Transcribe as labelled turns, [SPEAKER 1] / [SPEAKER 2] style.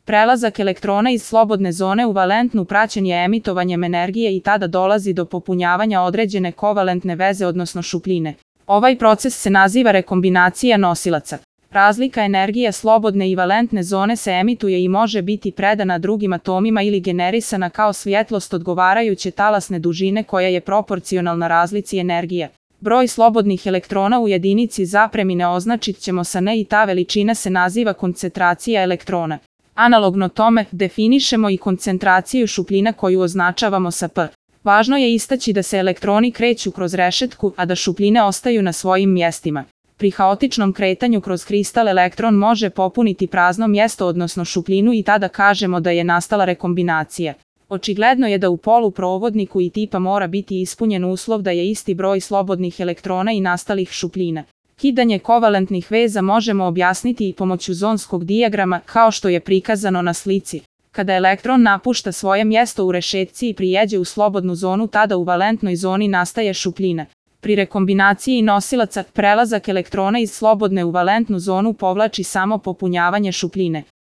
[SPEAKER 1] Prelazak elektrona iz slobodne zone u valentnu praćen je emitovanjem energije i tada dolazi do popunjavanja određene kovalentne veze odnosno šupljine. Ovaj proces se naziva rekombinacija nosilaca. Razlika energije slobodne i valentne zone se emituje i može biti predana drugim atomima ili generisana kao svjetlost odgovarajuće talasne dužine koja je proporcionalna razlici energije. Broj slobodnih elektrona u jedinici zapremine označit ćemo sa N i ta veličina se naziva koncentracija elektrona. Analogno tome, definišemo i koncentraciju šupljina koju označavamo sa P. Važno je istaći da se elektroni kreću kroz rešetku, a da šupljine ostaju na svojim mjestima. Pri haotičnom kretanju kroz kristal elektron može popuniti prazno mjesto odnosno šupljinu i tada kažemo da je nastala rekombinacija. Očigledno je da u poluprovodniku i tipa mora biti ispunjen uslov da je isti broj slobodnih elektrona i nastalih šupljina. Kidanje kovalentnih veza možemo objasniti i pomoću zonskog dijagrama kao što je prikazano na slici. Kada elektron napušta svoje mjesto u rešetci i prijeđe u slobodnu zonu, tada u valentnoj zoni nastaje šupljina. Pri rekombinaciji nosilaca, prelazak elektrona iz slobodne u valentnu zonu povlači samo popunjavanje šupljine.